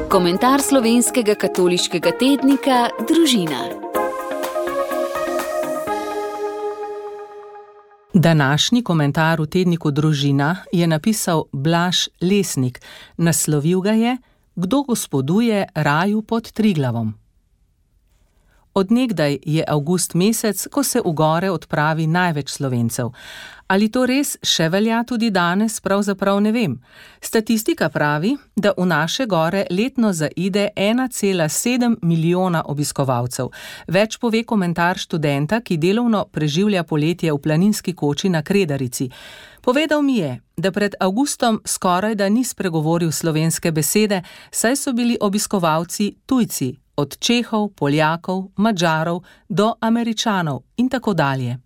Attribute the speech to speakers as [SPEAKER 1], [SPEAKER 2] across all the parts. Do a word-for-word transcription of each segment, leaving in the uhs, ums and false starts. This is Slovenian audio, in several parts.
[SPEAKER 1] Komentar slovenskega katoliškega tednika Družina.
[SPEAKER 2] Današnji komentar v tedniku Družina je napisal Blaž Lesnik. Naslovil ga je Kdo gospoduje raju pod Triglavom. Od nekdaj je avgust mesec, ko se v gore odpravi največ Slovencev. Ali to res še velja tudi danes, pravzaprav ne vem. Statistika pravi, da v naše gore letno zaide ena cela sedem milijona obiskovalcev. Več pove komentar študenta, ki delovno preživlja poletje v planinski koči na Kredarici. Povedal mi je, da pred avgustom skoraj da ni spregovoril slovenske besede, saj so bili obiskovalci tujci, od Čehov, Poljakov, Madžarov do Američanov in tako dalje.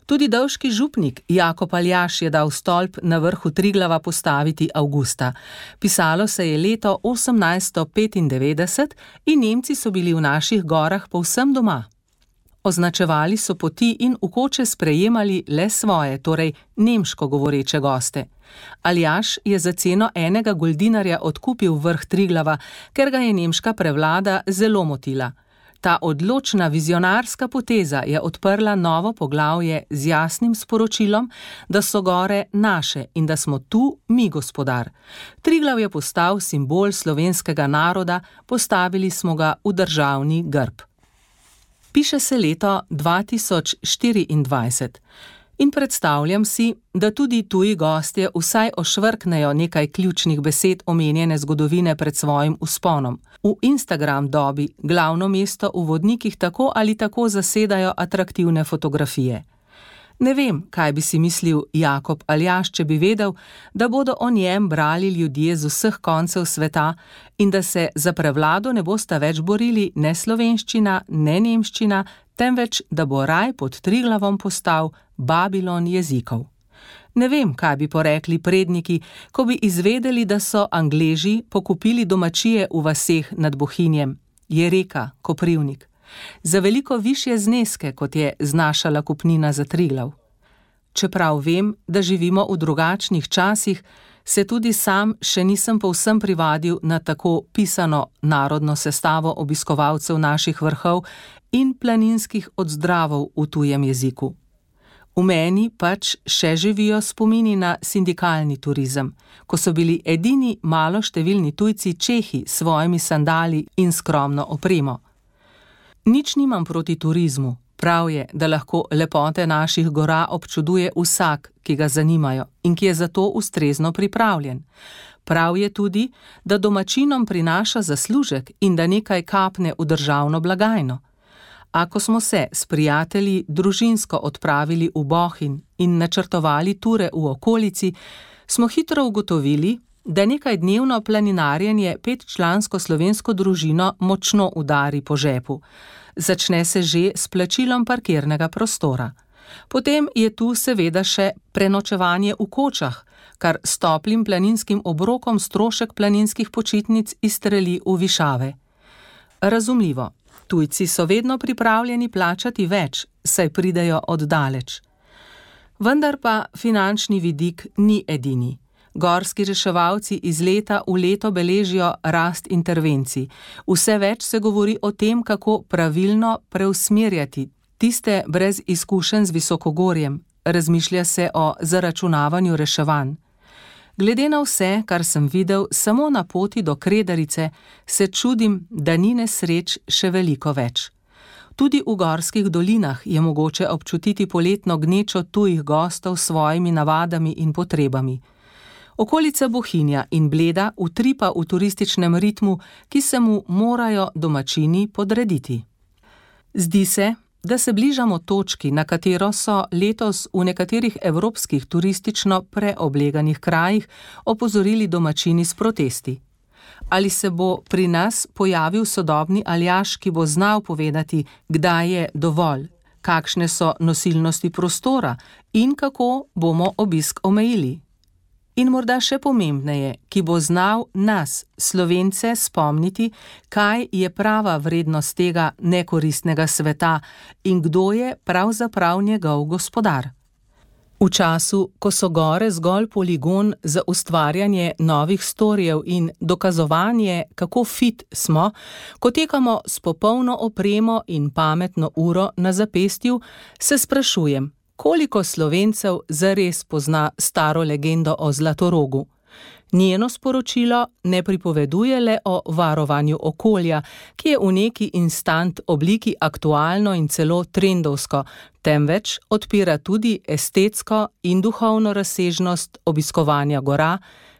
[SPEAKER 2] Tudi davški župnik Jakob Aljaž je dal stolp na vrhu Triglava postaviti avgusta. Pisalo se je leto osemnajststo petindevetdeset in Nemci so bili v naših gorah povsem doma. Označevali so poti in v koče sprejemali le svoje, torej nemško govoreče goste. Aljaž je za ceno enega goldinarja odkupil vrh Triglava, ker ga je nemška prevlada zelo motila. Ta odločna vizionarska poteza je odprla novo poglavje z jasnim sporočilom, da so gore naše in da smo tu mi gospodar. Triglav je postal simbol slovenskega naroda, postavili smo ga v državni grb. Piše se leto dva tisoč štiriindvajset in predstavljam si, da tudi tuji gostje vsaj ošvrknejo nekaj ključnih besed omenjene zgodovine pred svojim vzponom. V Instagram dobi glavno mesto v vodnikih tako ali tako zasedajo atraktivne fotografije. Ne vem, kaj bi si mislil Jakob Aljaž, če bi vedel, da bodo o njem brali ljudje z vseh koncev sveta in da se za prevlado ne bosta več borili ne slovenščina, ne nemščina, temveč da bo raj pod Triglavom postal Babilon jezikov. Ne vem, kaj bi porekli predniki, ko bi izvedeli, da so Angleži pokupili domačije v vaseh nad Bohinjem, Jereka, Koprivnik, za veliko višje zneske, kot je znašala kupnina za Triglav. Čeprav vem, da živimo v drugačnih časih, se tudi sam še nisem povsem privadil na tako pisano narodno sestavo obiskovalcev naših vrhov in planinskih odzdravov v tujem jeziku. V meni pač še živijo spomini na sindikalni turizem, ko so bili edini maloštevilni tujci Čehi s svojimi sandali in skromno opremo. Nič nimam proti turizmu, prav je, da lahko lepote naših gora občuduje vsak, ki ga zanimajo in ki je za to ustrezno pripravljen. Prav je tudi, da domačinom prinaša zaslužek in da nekaj kapne v državno blagajno. Ako smo se s prijatelji družinsko odpravili v Bohinj in načrtovali ture v okolici, smo hitro ugotovili, da nekaj dnevno planinarjenje petčlansko slovensko družino močno udari po žepu. Začne se že s plačilom parkirnega prostora. Potem je tu seveda še prenočevanje v kočah, kar s toplim planinskim obrokom strošek planinskih počitnic izstreli v višave. Razumljivo, tujci so vedno pripravljeni plačati več, saj pridejo od daleč. Vendar pa finančni vidik ni edini. Gorski reševalci iz leta v leto beležijo rast intervencij. Vse več se govori o tem, kako pravilno preusmerjati tiste brez izkušenj z visokogorjem. Razmišlja se o zaračunavanju reševanj. Glede na vse, kar sem videl samo na poti do Kredarice, se čudim, da ni nesreč še veliko več. Tudi v gorskih dolinah je mogoče občutiti poletno gnečo tujih gostov s svojimi navadami in potrebami. Okolica Bohinja in Bleda utripa v turističnem ritmu, ki se mu morajo domačini podrediti. Zdi se, da se bližamo točki, na katero so letos v nekaterih evropskih turistično preobleganih krajih opozorili domačini s protesti. Ali se bo pri nas pojavil sodobni Aljaž, ki bo znal povedati, kdaj je dovolj, kakšne so nosilnosti prostora in kako bomo obisk omejili? In morda še pomembneje, ki bo znal nas, Slovence, spomniti, kaj je prava vrednost tega nekoristnega sveta in kdo je pravzaprav njegov gospodar. V času, ko so gore zgolj poligon za ustvarjanje novih storjev in dokazovanje, kako fit smo, ko tekamo s popolno opremo in pametno uro na zapestju, se sprašujem, koliko Slovencev zares pozna staro legendo o Zlatorogu. Njeno sporočilo ne pripoveduje le o varovanju okolja, ki je v neki instant obliki aktualno in celo trendovsko, temveč odpira tudi estetsko in duhovno razsežnost obiskovanja gora,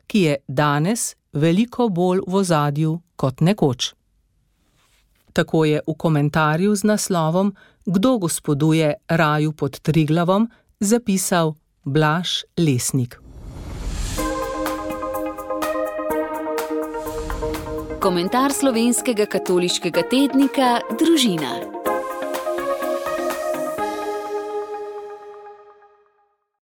[SPEAKER 2] ki je danes veliko bolj v ozadju kot nekoč. Tako je v komentarju z naslovom Kdo gospoduje raju pod Triglavom zapisal Blaž Lesnik.
[SPEAKER 1] Komentar slovenskega katoliškega tednika Družina.